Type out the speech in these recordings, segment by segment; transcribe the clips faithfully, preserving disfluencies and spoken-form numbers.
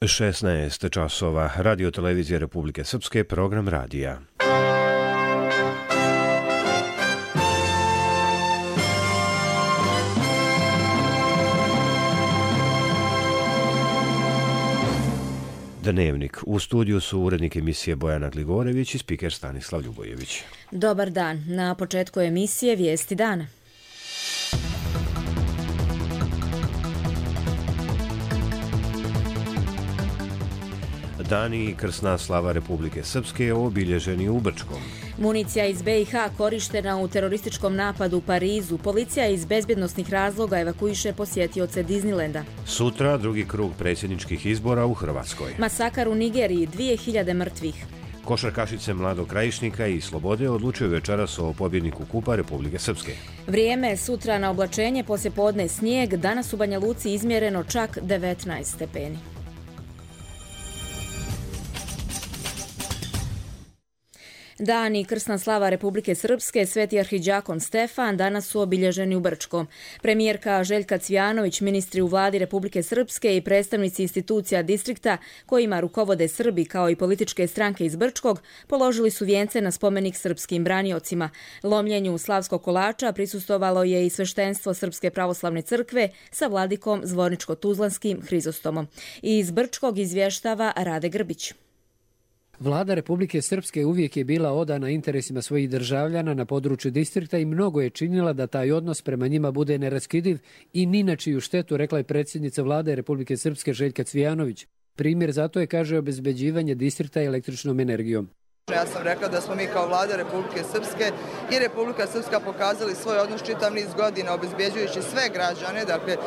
šesnaest časova. Radio televizije Republike Srpske, program radija. Dnevnik. U studiju su urednik emisije Bojana Gligorević i spiker Stanislav Ljubojević. Dobar dan. Na početku emisije Vijesti dana. Dani i krsna slava Republike Srpske obilježeni u Brčkom. Municija iz be i ha korištena u terorističkom napadu u Parizu. Policija iz bezbjednosnih razloga evakuiše posjetioce Disneylanda. Sutra drugi krug predsjedničkih izbora u Hrvatskoj. Masakar u Nigeriji, dvije hiljade mrtvih. Košarkašice Mladog Krajišnika i Slobode odlučuju večeras o pobjedniku Kupa Republike Srpske. Vrijeme sutra na oblačenje, poslije podne snijeg, danas u Banja Luci izmjereno čak devetnaest stepeni. Dan i krsna slava Republike Srpske, Sveti arhidžakon Stefan, danas su obilježeni u Brčkom. Premijerka Željka Cvijanović, ministri u vladi Republike Srpske i predstavnici institucija distrikta kojima rukovode Srbi kao i političke stranke iz Brčkog položili su vijence na spomenik srpskim braniocima. Lomljenju slavskog kolača prisustvovalo je i sveštenstvo Srpske pravoslavne crkve sa vladikom Zvorničko-Tuzlanskim Hrizostomom. Iz Brčkog izvještava Rade Grbić. Vlada Republike Srpske uvijek je bila odana interesima svojih državljana na području distrikta i mnogo je činila da taj odnos prema njima bude neraskidiv i ni na čiju štetu, rekla je predsjednica Vlade Republike Srpske Željka Cvijanović. Primjer zato je, kaže, obezbeđivanje distrikta električnom energijom. Ja sam rekla da smo mi kao Vlada Republike Srpske i Republika Srpska pokazali svoj odnos čitav niz godina obezbeđujući sve građane, dakle e,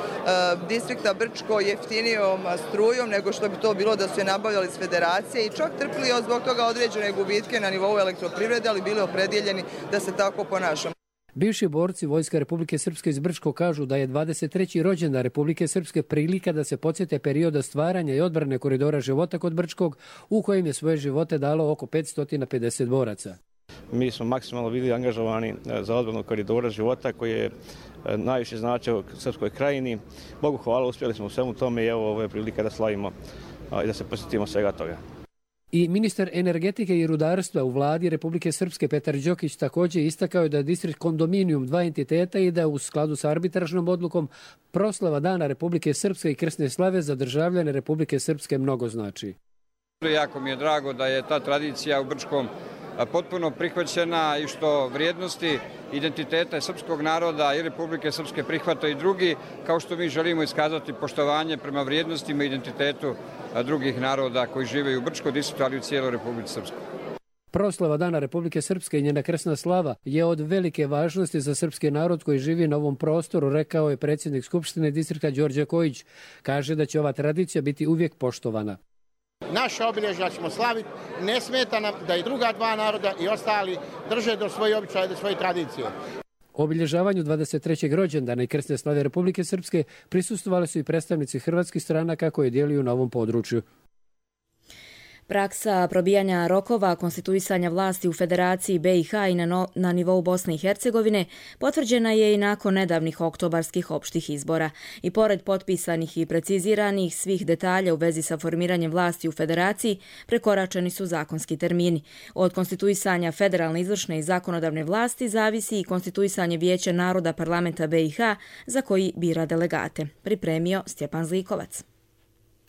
distrikta Brčko jeftinijom strujom nego što bi to bilo da su je nabavljali s federacije i čak trpili od zbog toga određene gubitke na nivou elektroprivrede, ali bili opredjeljeni da se tako ponašamo. Bivši borci Vojska Republike Srpske iz Brčko kažu da je dvadeset treći rođendan Republike Srpske prilika da se podsjete perioda stvaranja i odbrane koridora života kod Brčkog, u kojem je svoje živote dalo oko petsto pedeset boraca. Mi smo maksimalno bili angažovani za odbranu koridora života koji je najviše značio Srpskoj krajini. Bogu hvala, uspjeli smo u svemu tome i evo ovo je prilika da slavimo i da se posjetimo svega toga. I ministar energetike i rudarstva u vladi Republike Srpske Petar Đokić također istakao je da je distrikt kondominijum dva entiteta i da u skladu sa arbitražnom odlukom proslava Dana Republike Srpske i krsne slave za državljane Republike Srpske mnogo znači. Jako mi je drago da je ta tradicija u Brčkom potpuno prihvaćena i što vrijednosti identiteta srpskog naroda i Republike Srpske prihvata i drugi, kao što mi želimo iskazati poštovanje prema vrijednostima i identitetu drugih naroda koji žive u Brčkoj distriktu, ali u cijeloj Republici Srpskoj. Proslava Dana Republike Srpske i njena krsna slava je od velike važnosti za srpski narod koji živi na ovom prostoru, rekao je predsjednik Skupštine distrikta Đorđe Kojić. Kaže da će ova tradicija biti uvijek poštovana. Naša obilježja ćemo slaviti, ne smeta nam da i druga dva naroda i ostali drže do svoje običaje, do svoje tradicije. Obilježavanju dvadeset trećeg rođendana i krsne slave Republike Srpske prisustvovali su i predstavnici hrvatskih stranaka koje djeluju na ovom području. Praksa probijanja rokova konstituisanja vlasti u Federaciji be i ha i na, no, na nivou Bosne i Hercegovine potvrđena je i nakon nedavnih oktobarskih opštih izbora. I pored potpisanih i preciziranih svih detalja u vezi sa formiranjem vlasti u Federaciji, prekoračeni su zakonski termini. Od konstituisanja federalne izvršne i zakonodavne vlasti zavisi i konstituisanje Vijeća naroda parlamenta be i ha za koji bira delegate. Pripremio Stjepan Zlikovac.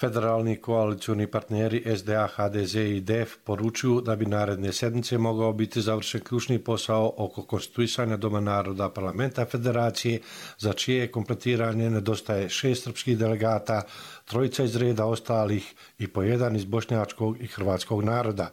Federalni koalicijni partneri es de a, ha de ze i de ef poručuju da bi naredne sedmice mogao biti završen ključni posao oko konstituisanja Doma naroda parlamenta Federacije, za čije kompletiranje nedostaje šest srpskih delegata, trojica iz reda ostalih i po jedan iz bošnjačkog i hrvatskog naroda.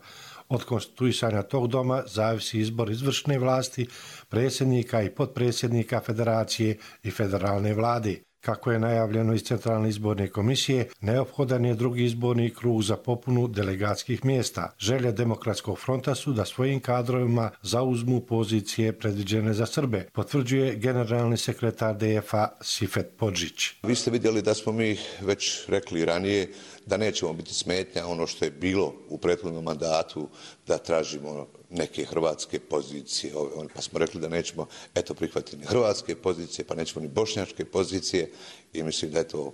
Od konstituisanja tog doma zavisi izbor izvršne vlasti, predsjednika i potpredsjednika Federacije i federalne vlade. Kako je najavljeno iz Centralne izborne komisije, neophodan je drugi izborni krug za popunu delegatskih mjesta. Želja Demokratskog fronta su da svojim kadrovima zauzmu pozicije predviđene za Srbe, potvrđuje generalni sekretar de ef a Sifet Podžić. Vi ste vidjeli da smo mi već rekli ranije da nećemo biti smetnja ono što je bilo u prethodnom mandatu, da tražimo neke hrvatske pozicije, pa smo rekli da nećemo eto prihvatiti ni hrvatske pozicije, pa nećemo ni bošnjačke pozicije i mislim da je to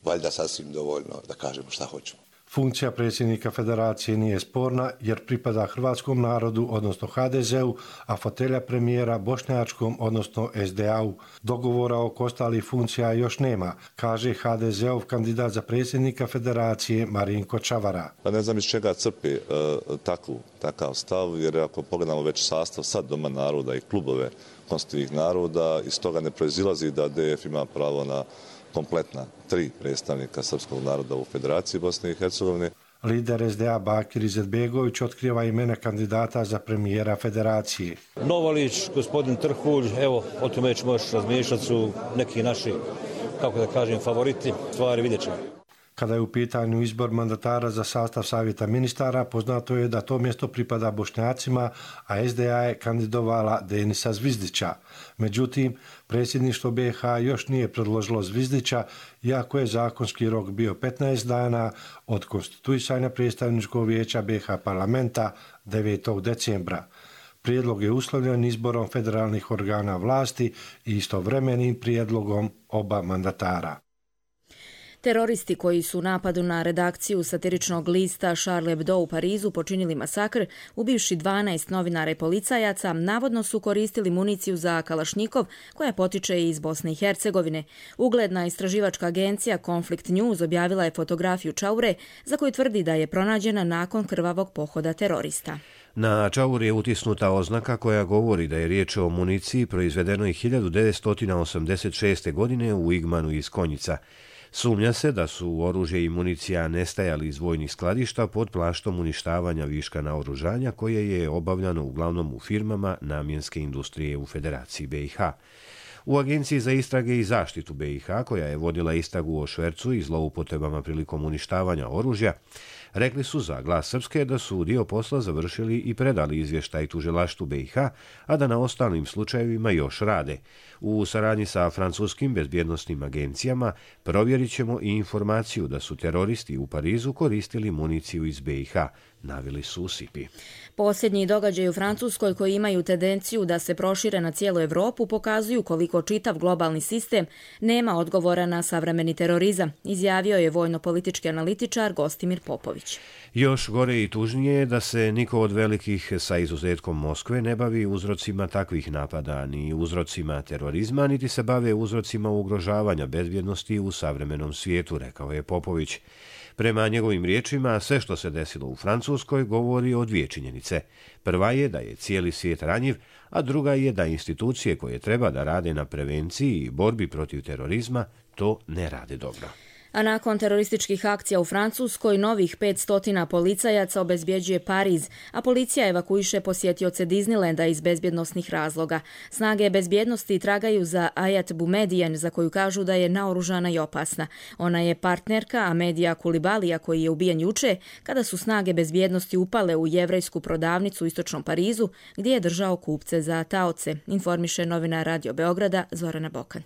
valjda sasvim dovoljno da kažemo šta hoćemo. Funkcija predsjednika federacije nije sporna jer pripada hrvatskom narodu, odnosno ha de zeu, a fotelja premijera bošnjačkom, odnosno es de a-u. Dogovora oko ostalih funkcija još nema, kaže ha de zeov kandidat za predsjednika federacije Marinko Čavara. Pa ne znam iz čega crpi uh, takvu, takav stav, jer ako pogledamo već sastav sad Doma naroda i klubove konstitutivnih naroda, iz toga ne proizilazi da de ef ima pravo na kompletna tri predstavnika srpskog naroda u Federaciji Bosne i Hercegovine. Lider es de a Bakir Izetbegović otkriva imena kandidata za premijera federacije. Novalić, gospodin Trhulj, evo, o tome ćemo još razmišljati, su neki naši, kako da kažem, favoriti, stvari vidjet ćemo. Kada je u pitanju izbor mandatara za sastav savjeta ministara, poznato je da to mjesto pripada Bošnjacima, a es de a je kandidovala Denisa Zvizdića. Međutim, predsjedništvo be ha još nije predložilo Zvizdića, iako je zakonski rok bio petnaest dana od konstituisanja predstavničkog vijeća be ha parlamenta devetog decembra. Prijedlog je uslovljen izborom federalnih organa vlasti i istovremenim prijedlogom oba mandatara. Teroristi koji su u napadu na redakciju satiričnog lista Charlie Hebdo u Parizu počinili masakr, ubivši dvanaest novinara i policajaca, navodno su koristili municiju za kalašnjikov koja potiče iz Bosne i Hercegovine. Ugledna istraživačka agencija Conflict News objavila je fotografiju čaure za koju tvrdi da je pronađena nakon krvavog pohoda terorista. Na čauri je utisnuta oznaka koja govori da je riječ o municiji proizvedenoj hiljadu devetsto osamdeset šeste. godine u Igmanu iz Konjica. Sumnja se da su oružje i municija nestajali iz vojnih skladišta pod plaštom uništavanja viška naoružanja koje je obavljano uglavnom u firmama namjenske industrije u Federaciji be i ha. U Agenciji za istrage i zaštitu be i ha, koja je vodila istragu o švercu i zloupotrebama prilikom uništavanja oružja, rekli su za Glas Srpske da su dio posla završili i predali izvještaj tužilaštvu be i ha, a da na ostalim slučajevima još rade. U saradnji sa francuskim bezbjednosnim agencijama provjerit ćemo i informaciju da su teroristi u Parizu koristili municiju iz be i ha, naveli su u Sipi. Posljednji događaji u Francuskoj koji imaju tendenciju da se prošire na cijelu Evropu pokazuju koliko čitav globalni sistem nema odgovora na savremeni terorizam, izjavio je vojno-politički analitičar Gostimir Popović. Još gore i tužnije je da se niko od velikih, sa izuzetkom Moskve, ne bavi uzrocima takvih napada, ni uzrocima terorizma, niti se bave uzrocima ugrožavanja bezbjednosti u savremenom svijetu, rekao je Popović. Prema njegovim riječima, sve što se desilo u Francuskoj govori o dvije činjenice. Prva je da je cijeli svijet ranjiv, a druga je da institucije koje treba da rade na prevenciji i borbi protiv terorizma to ne rade dobro. A nakon terorističkih akcija u Francuskoj, novih petsto policajaca obezbjeđuje Pariz, a policija evakuiše posjetioce Disneylanda iz bezbjednosnih razloga. Snage bezbjednosti tragaju za Ayat Boumediene, za koju kažu da je naoružana i opasna. Ona je partnerka Amedija Kulibalija, koji je ubijen juče, kada su snage bezbjednosti upale u jevrejsku prodavnicu u istočnom Parizu, gdje je držao kupce za taoce, informiše novinar Radio Beograda Zorana Bokan.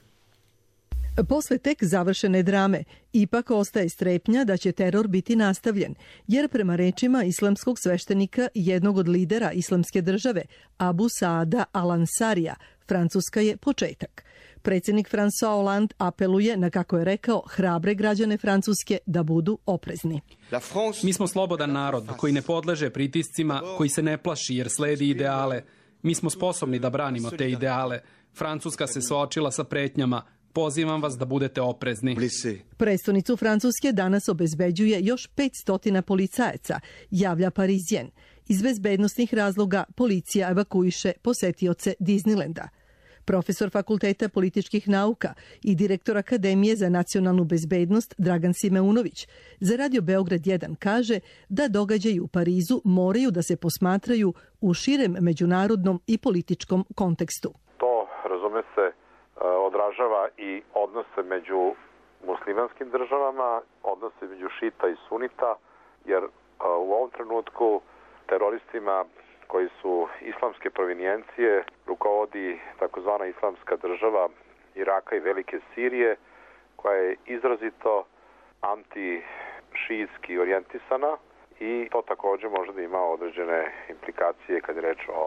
Posle tek završene drame, ipak ostaje strepnja da će teror biti nastavljen, jer prema rečima islamskog sveštenika i jednog od lidera islamske države, Abu Saada al-Ansarija, Francuska je početak. Predsjednik François Hollande apeluje na, kako je rekao, hrabre građane Francuske da budu oprezni. Mi smo slobodan narod koji ne podleže pritiscima, koji se ne plaši jer sledi ideale. Mi smo sposobni da branimo te ideale. Francuska se suočila sa pretnjama. Pozivam vas da budete oprezni. Prestonicu Francuske danas obezbeđuje još petsto policajaca, javlja Parisien. Iz bezbednosnih razloga policija evakuiše posetioce Disneylanda. Profesor Fakulteta političkih nauka i direktor Akademije za nacionalnu bezbednost Dragan Simeunović za Radio Beograd jedan kaže da događaji u Parizu moraju da se posmatraju u širem međunarodnom i političkom kontekstu. To, razume se, odražava i odnose među muslimanskim državama, odnose među šita i sunita, jer u ovom trenutku teroristima koji su islamske provinijencije rukovodi takozvana islamska država Iraka i Velike Sirije, koja je izrazito anti-šijitski orijentisana i to također može da ima određene implikacije kad je reč o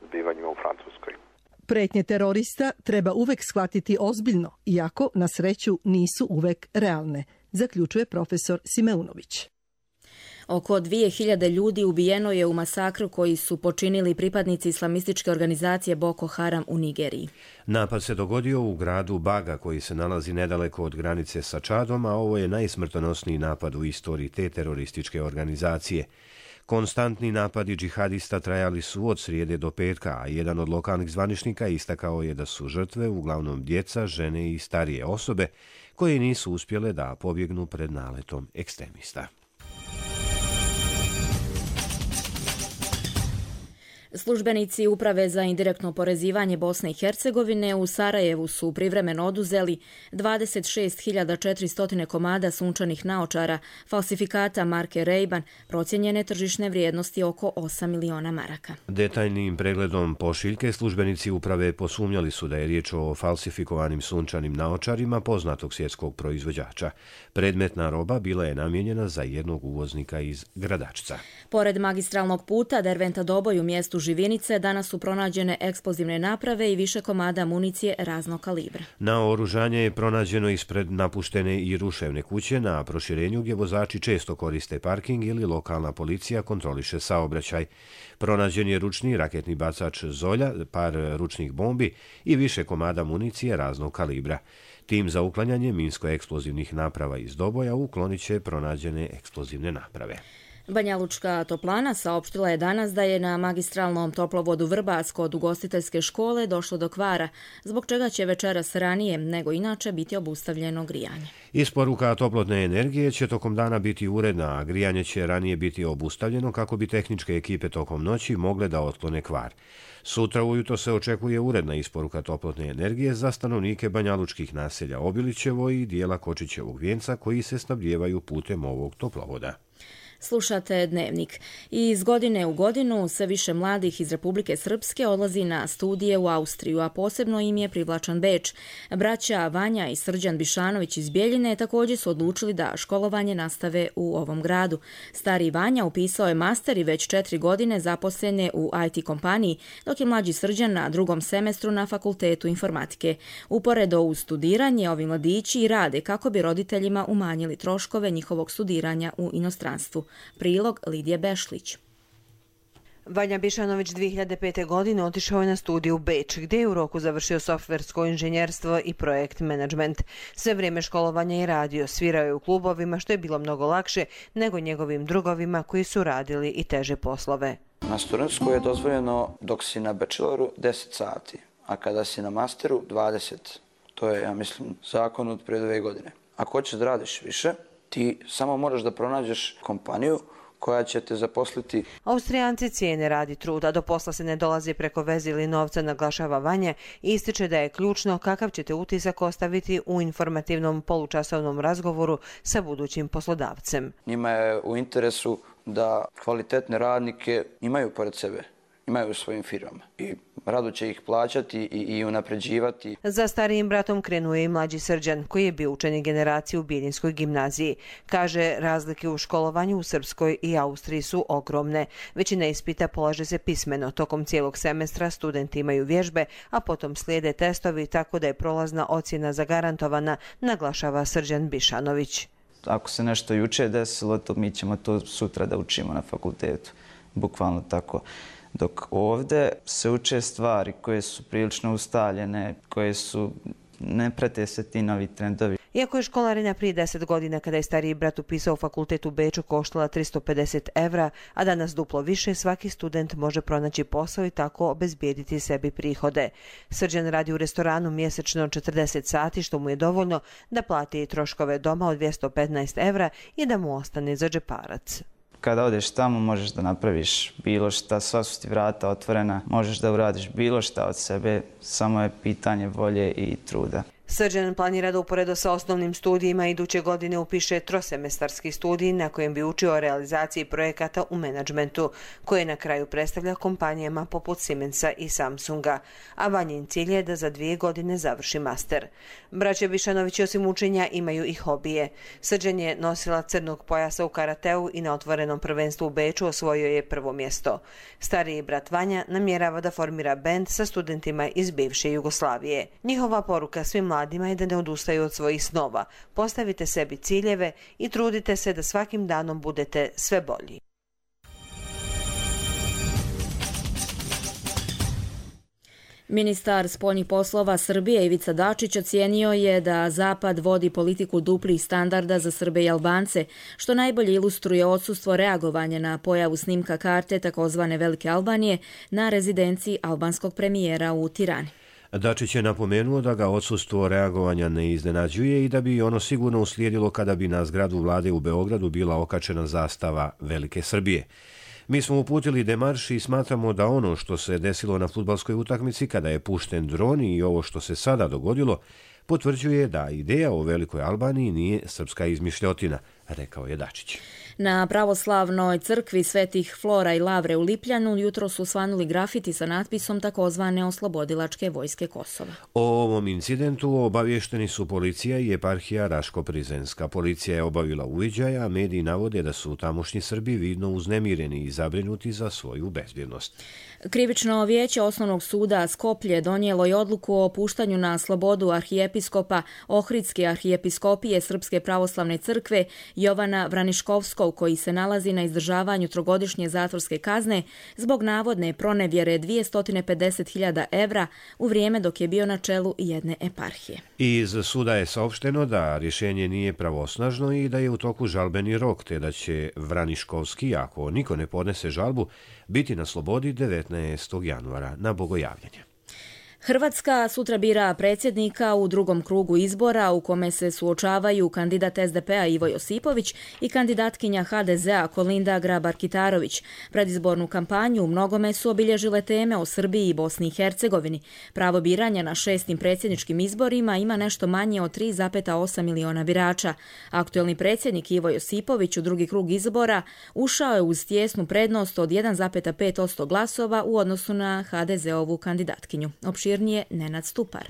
zbivanjima u Francuskoj. Pretnje terorista treba uvek shvatiti ozbiljno, iako na sreću nisu uvek realne, zaključuje profesor Simeunović. Oko dvije hiljade ljudi ubijeno je u masakru koji su počinili pripadnici islamističke organizacije Boko Haram u Nigeriji. Napad se dogodio u gradu Baga koji se nalazi nedaleko od granice sa Čadom, a ovo je najsmrtonosniji napad u istoriji te terorističke organizacije. Konstantni napadi džihadista trajali su od srijede do petka, a jedan od lokalnih zvaničnika istakao je da su žrtve uglavnom djeca, žene i starije osobe koje nisu uspjele da pobjegnu pred naletom ekstremista. Službenici Uprave za indirektno porezivanje Bosne i Hercegovine u Sarajevu su privremeno oduzeli dvadeset šest hiljada četiristo komada sunčanih naočara, falsifikata marke Ray-Ban, procijenjene tržišne vrijednosti oko osam miliona maraka. Detaljnim pregledom pošiljke službenici uprave posumnjali su da je riječ o falsifikovanim sunčanim naočarima poznatog svjetskog proizvođača. Predmetna roba bila je namijenjena za jednog uvoznika iz Gradačca. Pored magistralnog puta Derventa-Doboj u mjestu Živinice danas su pronađene eksplozivne naprave i više komada municije raznog kalibra. Naoružanje je pronađeno ispred napuštene i ruševne kuće na proširenju gdje vozači često koriste parking ili lokalna policija kontroliše saobraćaj. Pronađen je ručni raketni bacač Zolja, par ručnih bombi i više komada municije raznog kalibra. Tim za uklanjanje minsko-eksplozivnih naprava iz Doboja uklonit će pronađene eksplozivne naprave. Banja Lučka toplana saopštila je danas da je na magistralnom toplovodu Vrbac kod ugostiteljske škole došlo do kvara, zbog čega će večeras ranije nego inače biti obustavljeno grijanje. Isporuka toplotne energije će tokom dana biti uredna, a grijanje će ranije biti obustavljeno kako bi tehničke ekipe tokom noći mogle da otklone kvar. Sutra ujutro se očekuje uredna isporuka toplotne energije za stanovnike banjalučkih naselja Obilićevo i dijela Kočićevog Vijenca koji se snabdijevaju putem ovog toplovoda. Slušate Dnevnik. Iz godine u godinu sve više mladih iz Republike Srpske odlazi na studije u Austriju, a posebno im je privlačan Beč. Braća Vanja i Srđan Bišanović iz Bjeljine također su odlučili da školovanje nastave u ovom gradu. Stari Vanja upisao je master i već četiri godine zaposlen je u I T kompaniji, dok je mlađi Srđan na drugom semestru na Fakultetu informatike. Uporedo uz studiranje, ovi mladići i rade kako bi roditeljima umanjili troškove njihovog studiranja u inostranstvu. Prilog Lidije Bešlić. Vanja Bišanović dvije hiljade pete. godine otišao je na studiju u Beč, gdje je u roku završio softversko inženjerstvo i projekt management. Sve vrijeme školovanja je radio, svirao je u klubovima, što je bilo mnogo lakše nego njegovim drugovima koji su radili i teže poslove. Na studentskoj je dozvoljeno dok si na bacheloru deset sati, a kada si na masteru dvadeset. To je, ja mislim, zakon od prije dve godine. Ako hoćeš da radiš više, ti samo moraš da pronađeš kompaniju koja će te zaposliti. Austrijanci cijene rad i trud, a do posla se ne dolazi preko veze ili novca, naglašava Vanja i ističe da je ključno kakav ćete utisak ostaviti u informativnom polučasovnom razgovoru sa budućim poslodavcem. Njima je u interesu da kvalitetne radnike imaju pored sebe, imaju u svojim firmama i rado će ih plaćati i, i unapređivati. Za starijim bratom krenuo je i mlađi Srđan, koji je bio učenik generacije u Bijeljinskoj gimnaziji. Kaže, razlike u školovanju u Srpskoj i Austriji su ogromne. Većina ispita polaže se pismeno. Tokom cijelog semestra studenti imaju vježbe, a potom slijede testovi, tako da je prolazna ocjena zagarantovana, naglašava Srđan Bišanović. Ako se nešto juče desilo, to mi ćemo to sutra da učimo na fakultetu. Bukvalno tako. Dok ovdje se uče stvari koje su prilično ustaljene, koje su, ne prate se ti novi trendovi. Iako je školarina prije deset godina kada je stariji brat upisao fakultet u Beču koštala tristo pedeset evra, a danas duplo više, svaki student može pronaći posao i tako obezbijediti sebi prihode. Srđan radi u restoranu mjesečno četrdeset sati, što mu je dovoljno da plati troškove doma od dvjesto petnaest evra i da mu ostane za džeparac. Kada odeš tamo možeš da napraviš bilo šta, sva su ti vrata otvorena, možeš da uradiš bilo šta od sebe, samo je pitanje volje i truda. Srđan planira da uporedo sa osnovnim studijima iduće godine upiše trosemestarski studij na kojem bi učio o realizaciji projekata u menadžmentu, koje na kraju predstavlja kompanijama poput Siemensa i Samsunga, a Vanjin cilj je da za dvije godine završi master. Braća Bišanović osim učenja imaju i hobije. Srđan je nosila crnog pojasa u karateu i na otvorenom prvenstvu u Beču osvojio je prvo mjesto. Stariji brat Vanja namjerava da formira bend sa studentima iz bivše Jugoslavije. Njihova poruka svim mladima je da ne odustaju od svojih snova. Postavite sebi ciljeve i trudite se da svakim danom budete sve bolji. Ministar spoljnih poslova Srbije Ivica Dačić ocijenio je da Zapad vodi politiku duplih standarda za Srbe i Albance, što najbolje ilustruje odsustvo reagovanja na pojavu snimka karte takozvane Velike Albanije na rezidenciji albanskog premijera u Tirani. Dačić je napomenuo da ga odsustvo reagovanja ne iznenađuje i da bi ono sigurno uslijedilo kada bi na zgradu vlade u Beogradu bila okačena zastava Velike Srbije. Mi smo uputili demarš i smatramo da ono što se desilo na fudbalskoj utakmici kada je pušten dron i ovo što se sada dogodilo potvrđuje da ideja o Velikoj Albaniji nije srpska izmišljotina, rekao je Dačić. Na pravoslavnoj crkvi Svetih Flora i Lavre u Lipljanu jutro su svanuli grafiti sa natpisom takozvane Oslobodilačke vojske Kosova. O ovom incidentu obavješteni su policija i eparhija Raško-Prizrenska. Policija je obavila uviđaja, a mediji navode da su tamošnji Srbi vidno uznemireni i zabrinuti za svoju bezbjednost. Krivično vijeće Osnovnog suda Skoplje donijelo je odluku o puštanju na slobodu arhijepiskopa Ohridske arhijepiskopije Srpske pravoslavne crkve Jovana Vraniškovskog, koji se nalazi na izdržavanju trogodišnje zatvorske kazne zbog navodne pronevjere dvjesto pedeset hiljada evra u vrijeme dok je bio na čelu jedne eparhije. Iz suda je saopšteno da rješenje nije pravosnažno i da je u toku žalbeni rok, te da će Vraniškovski, ako niko ne podnese žalbu, biti na slobodi devetnaestog januara na bogojavljanje. Hrvatska sutra bira predsjednika u drugom krugu izbora u kome se suočavaju kandidat S D P-a Ivo Josipović i kandidatkinja H D Z-a Kolinda Grabar-Kitarović. Predizbornu kampanju u mnogome su obilježile teme o Srbiji i Bosni i Hercegovini. Pravo biranja na šestim predsjedničkim izborima ima nešto manje od tri zarez osam miliona birača. Aktuelni predsjednik Ivo Josipović u drugi krug izbora ušao je uz tjesnu prednost od jedan zarez pet posto glasova u odnosu na H D Z-ovu kandidatkinju. Opširnije Nenad Stupar.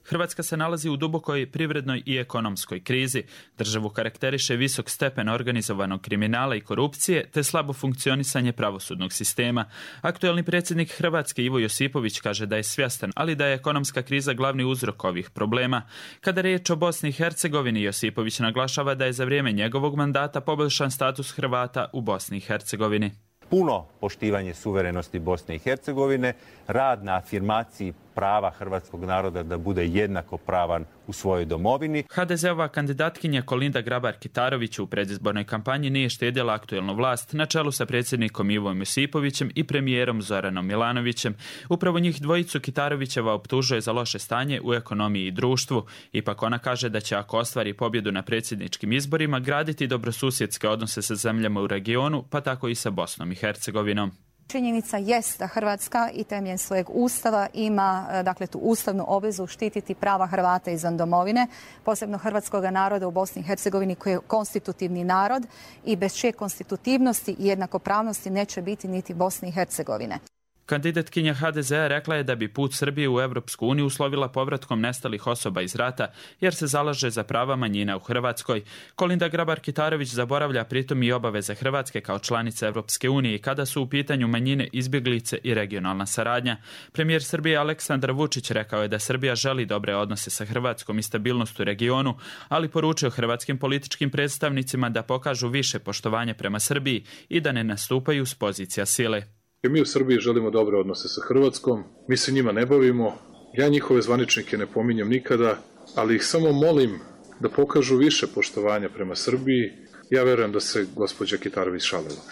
Hrvatska se nalazi u dubokoj privrednoj i ekonomskoj krizi. Državu karakteriše visok stepen organizovanog kriminala i korupcije te slabo funkcionisanje pravosudnog sistema. Aktuelni predsjednik Hrvatske Ivo Josipović kaže da je svjestan, ali da je ekonomska kriza glavni uzrok ovih problema. Kada je riječ o Bosni i Hercegovini, Josipović naglašava da je za vrijeme njegovog mandata poboljšan status Hrvata u Bosni i Hercegovini. Puno poštivanje suverenosti Bosne i Hercegovine, rad na afirmaciji prava hrvatskog naroda da bude jednakopravan u svojoj domovini. H D Z-ova kandidatkinja Kolinda Grabar-Kitarović u predizbornoj kampanji nije štedjela aktuelnu vlast na čelu sa predsjednikom Ivom Josipovićem i premijerom Zoranom Milanovićem. Upravo njih dvojicu Kitarovićeva optužuje za loše stanje u ekonomiji i društvu. Ipak ona kaže da će, ako ostvari pobjedu na predsjedničkim izborima, graditi dobrosusjedske odnose sa zemljama u regionu, pa tako i sa Bosnom i Hercegovinom. Činjenica jest da Hrvatska i temeljem svojeg ustava ima dakle, tu ustavnu obvezu štititi prava Hrvata izvan domovine, posebno hrvatskog naroda u Bosni i Hercegovini koji je konstitutivni narod i bez čije konstitutivnosti i jednakopravnosti neće biti niti Bosne i Hercegovine. Kandidatkinja H D Z-a rekla je da bi put Srbije u Europsku uniju uslovila povratkom nestalih osoba iz rata, jer se zalaže za prava manjina u Hrvatskoj. Kolinda Grabar-Kitarović zaboravlja pritom i obaveze Hrvatske kao članice Europske unije kada su u pitanju manjine, izbjeglice i regionalna saradnja. Premijer Srbije Aleksandar Vučić rekao je da Srbija želi dobre odnose sa Hrvatskom i stabilnost u regionu, ali poručio hrvatskim političkim predstavnicima da pokažu više poštovanja prema Srbiji i da ne nastupaju s pozicija sile. Mi u Srbiji želimo dobre odnose sa Hrvatskom, mi se njima ne bavimo, ja njihove zvaničnike ne pominjem nikada, ali ih samo molim da pokažu više poštovanja prema Srbiji. Ja verujem da se gospođa Kitarović šalila.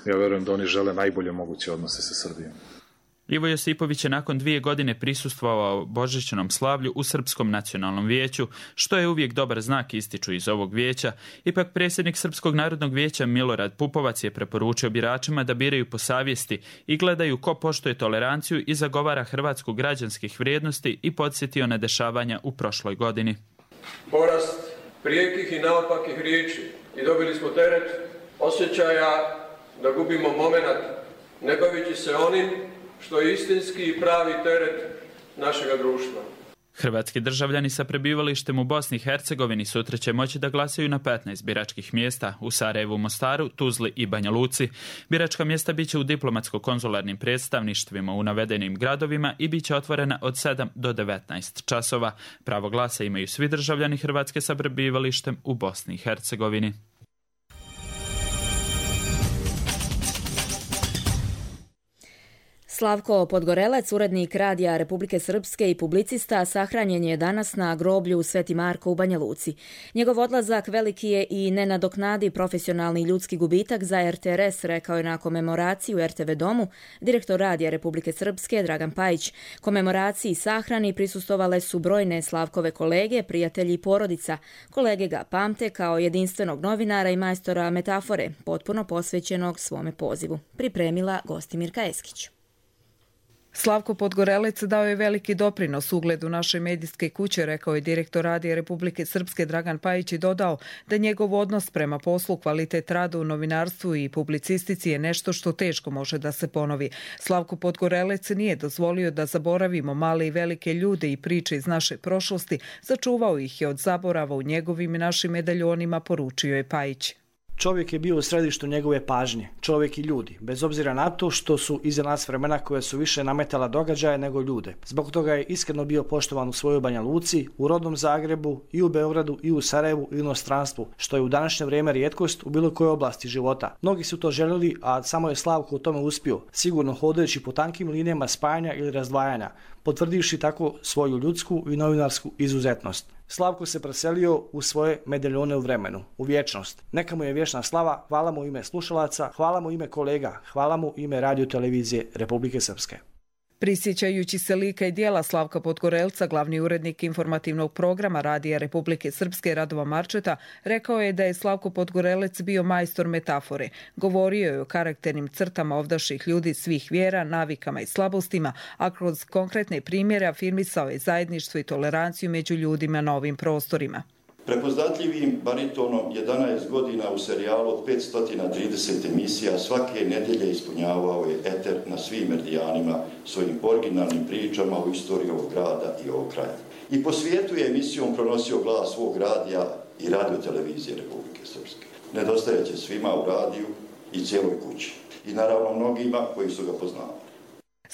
Ja verujem da oni žele najbolje moguće odnose sa Srbijom. Ivo Josipović je nakon dvije godine prisustvovao božićnom slavlju u Srpskom nacionalnom vijeću, što je uvijek dobar znak, ističu iz ovog vijeća. Ipak predsjednik Srpskog narodnog vijeća Milorad Pupovac je preporučio biračima da biraju po savjesti i gledaju ko poštuje toleranciju i zagovara Hrvatsku građanskih vrijednosti i podsjetio na dešavanja u prošloj godini. Porast prijekih i naopakih riječi i dobili smo teret osjećaja da gubimo momenat, ne bavići se onim što je istinski i pravi teret našega društva. Hrvatski državljani sa prebivalištem u Bosni i Hercegovini sutra će moći da glasaju na petnaest biračkih mjesta u Sarajevu, Mostaru, Tuzli i Banja Luci. Biračka mjesta biće u diplomatsko-konzularnim predstavništvima u navedenim gradovima i biće otvorena od sedam do devetnaest časova. Pravo glasa imaju svi državljani Hrvatske sa prebivalištem u Bosni i Hercegovini. Slavko Podgorelec, urednik Radija Republike Srpske i publicista, sahranjen je danas na groblju Sveti Marko u Banja Luci. Njegov odlazak veliki je i nenadoknadi profesionalni ljudski gubitak za er te er es, rekao je na komemoraciji u er te ve domu direktor Radija Republike Srpske Dragan Pajić. Komemoraciji i sahrani prisustovale su brojne Slavkove kolege, prijatelji i porodica. Kolege ga pamte kao jedinstvenog novinara i majstora metafore, potpuno posvećenog svome pozivu. Pripremila Gostimirka Eskić. Slavko Podgorelec dao je veliki doprinos ugledu naše medijske kuće, rekao je direktor Radija Republike Srpske Dragan Pajić i dodao da njegov odnos prema poslu, kvalitet rada u novinarstvu i publicistici je nešto što teško može da se ponovi. Slavko Podgorelec nije dozvolio da zaboravimo male i velike ljude i priče iz naše prošlosti, sačuvao ih je od zaborava u njegovim i našim medaljonima, poručio je Pajić. Čovjek je bio u središtu njegove pažnje, čovjek i ljudi, bez obzira na to što su iza nas vremena koje su više nametala događaje nego ljude. Zbog toga je iskreno bio poštovan u svojoj Banja Luci, u rodnom Zagrebu, i u Beogradu, i u Sarajevu, i u inostranstvu, što je u današnje vrijeme rijetkost u bilo kojoj oblasti života. Mnogi su to željeli, a samo je Slavko u tome uspio, sigurno hodajući po tankim linijama spajanja ili razdvajanja, potvrdivši tako svoju ljudsku i novinarsku izuzetnost. Slavko se preselio u svoje medaljone u vremenu, u vječnost. Neka mu je vječna slava, hvala mu ime slušalaca, hvala mu ime kolega, hvala mu ime Radio televizije Republike Srpske. Prisjećajući se lika i dijela Slavka Podgorelca, glavni urednik informativnog programa Radija Republike Srpske Radova Marčeta rekao je da je Slavko Podgorelec bio majstor metafore. Govorio je o karakternim crtama ovdašnjih ljudi svih vjera, navikama i slabostima, a kroz konkretne primjere afirmisao je zajedništvo i toleranciju među ljudima na ovim prostorima. Prepoznatljivim baritonom jedanaest godina u serijalu od petsto trideset emisija svake nedjelje ispunjavao je eter na svim meridijanima svojim originalnim pričama o istoriji ovog grada i ovog kraja. I po svijetu je emisijom pronosio glas svog radija i Radio televizije Republike Srpske. Nedostajeće svima u radiju i cijeloj kući. I naravno mnogima koji su ga poznali.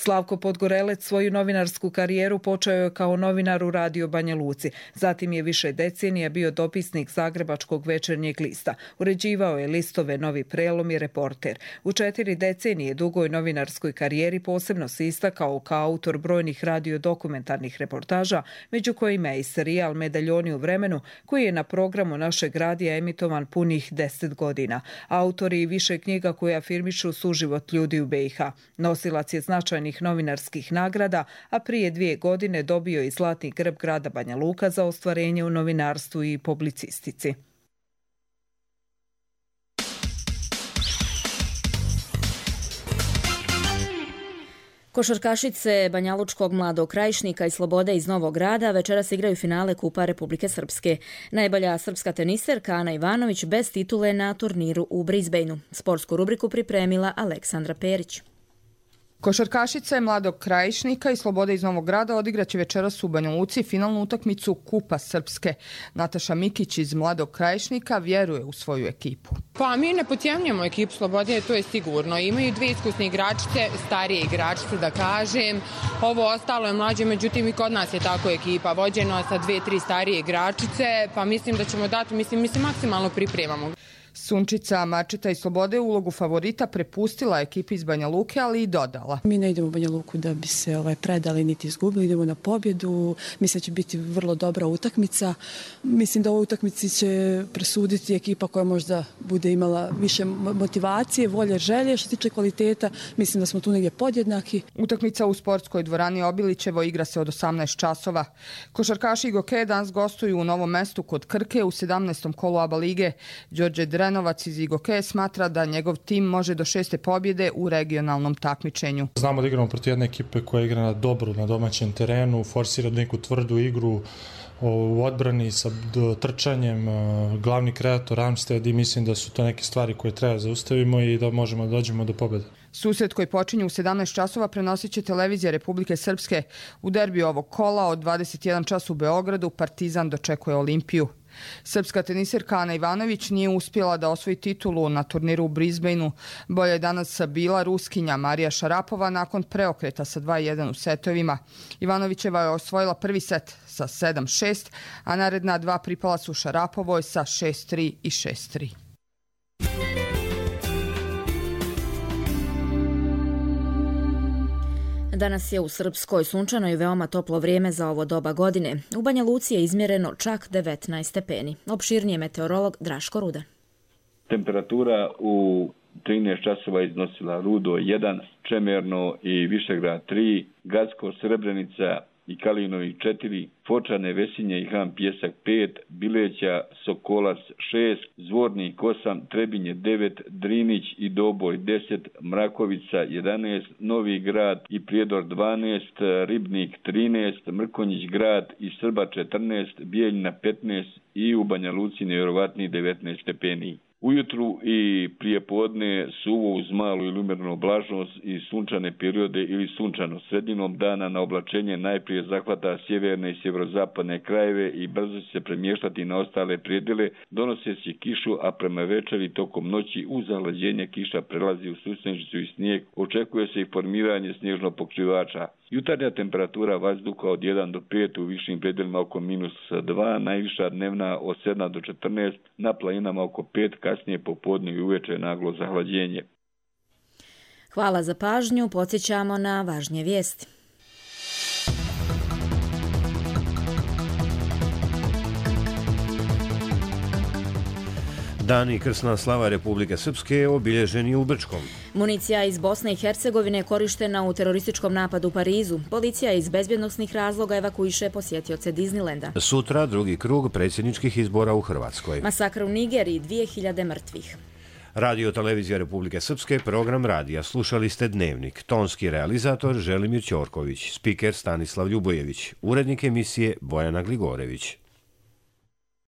Slavko Podgorelec svoju novinarsku karijeru počeo je kao novinar u Radio Banja Luci. Zatim je više decenija bio dopisnik Zagrebačkog večernjeg lista. Uređivao je listove Novi prelom i Reporter. U četiri decenije dugoj novinarskoj karijeri posebno se istakao kao autor brojnih radiodokumentarnih reportaža, među kojima je i serijal Medaljoni u vremenu, koji je na programu našeg radija emitovan punih deset godina. Autori i više knjiga koje afirmišu suživot ljudi u be i ha. Nosilac je značajni novinarskih nagrada, a prije dvije godine dobio i Zlatni grb grada Banja Luka za ostvarenje u novinarstvu i publicistici. Košarkašice Banjalučkog Mladog Krajišnika i Slobode iz Novog Grada večeras igraju finale Kupa Republike Srpske. Najbolja srpska teniserka Ana Ivanović bez titule na turniru u Brisbaneu. Sportsku rubriku pripremila Aleksandra Perić. Košarkašice Mladog Krajišnika i Slobode iz Novog Grada odigraće večeras u Banja Luci finalnu utakmicu Kupa Srpske. Nataša Mikić iz Mladog Krajišnika vjeruje u svoju ekipu. Pa mi ne potjemljamo ekipu Slobode, to je sigurno. Imaju dvije iskusne igračice, starije igračice da kažem. Ovo ostalo je mlađe, međutim i kod nas je tako ekipa vođeno sa dvije, tri starije igračice, pa mislim da ćemo dati, mislim, mi se maksimalno pripremamo. Sunčica Marčeta i Slobode ulogu favorita prepustila ekipi iz Banja Luke, ali i dodala. Mi ne idemo u Banja Luku da bi se ovaj, predali niti izgubili, idemo na pobjedu. Mislim da će biti vrlo dobra utakmica. Mislim da u ovoj utakmici će presuditi ekipa koja možda bude imala više motivacije, volje, želje. Što se tiče kvaliteta, mislim da smo tu negdje podjednaki. Utakmica u sportskoj dvorani Obilićevo igra se od osamnaest časova. Košarkaši Goke danas gostuju u Novom Mestu kod Krke u sedamnaestom kolu A B A lige. Đorđe Drenovac iz Igoke smatra da njegov tim može do šeste pobjede u regionalnom takmičenju. Znamo da igramo protiv jedne ekipe koja igra na dobro na domaćem terenu, forsira neku tvrdu igru u odbrani sa trčanjem, glavni kreator Armstead, i mislim da su to neke stvari koje treba zaustavimo i da možemo da dođemo do pobjede. Susret koji počinje u sedamnaest časova prenosit će televizija Republike Srpske. U derbiju ovog kola od dvadeset jedan čas u Beogradu Partizan dočekuje Olimpiju. Srpska tenisirka Ana Ivanović nije uspjela da osvoji titulu na turniru u Brisbaneu. Bolje je danas bila Ruskinja Marija Šarapova nakon preokreta sa dva jedan u setovima. Ivanovićeva je osvojila prvi set sa sedam šest, a naredna dva pripala su Šarapovoj sa šest tri i šest tri. Danas je u Srpskoj sunčano i veoma toplo vrijeme za ovo doba godine. U Banja Luci je izmjereno čak devetnaest stepeni. Opširnije meteorolog Draško Rudan. Temperatura u trinaest časova iznosila Rudo jedan, Čemerno i Višegrad tri, Gacko, Srebrenica i Kalinovi četiri, Fočane, Vesinje i Han Pjesak pet, Bileća, Sokolac šest, Zvornik osam, Trebinje devet, Drinić i Doboj deset, Mrakovica jedanaest, Novi Grad i Prijedor dvanaest, Ribnik trinaest, Mrkonjić Grad i Srba četrnaest, Bijeljina petnaest i u Banja Luci nevjerovatnih devetnaest stepeni. Ujutru i prije podne suvo uz malu ili umjerenu oblačnost i sunčane periode ili sunčano. Sredinom dana na oblačenje najprije zahvata sjeverne i sjeverozapadne krajeve i brzo će se premještati na ostale predjele, donose se kišu, a prema večeri tokom noći uz zahlađenje kiša prelazi u susnežicu i snijeg, očekuje se i formiranje snježnog pokrivača. Jutarnja temperatura vazduha od jedan do pet, u višim predjelima oko minus dva, najviša dnevna od sedam do četrnaest, na planinama oko pet, kasnije popodne i uveče naglo zahlađenje. Hvala za pažnju, podsjećamo na važnije vijesti. Dan i krsna slava Republike Srpske je obilježen i u Brčkom. Municija iz Bosne i Hercegovine je korištena u terorističkom napadu u Parizu. Policija iz bezbjednosnih razloga evakuiše posjetioce Disneylanda. Sutra drugi krug predsjedničkih izbora u Hrvatskoj. Masakr u Nigeriji, dvije hiljade mrtvih. Radio Televizija Republike Srpske, program radija. Slušali ste Dnevnik. Tonski realizator Želimir Ćorković, spiker Stanislav Ljubojević, urednik emisije Bojana Gligorević.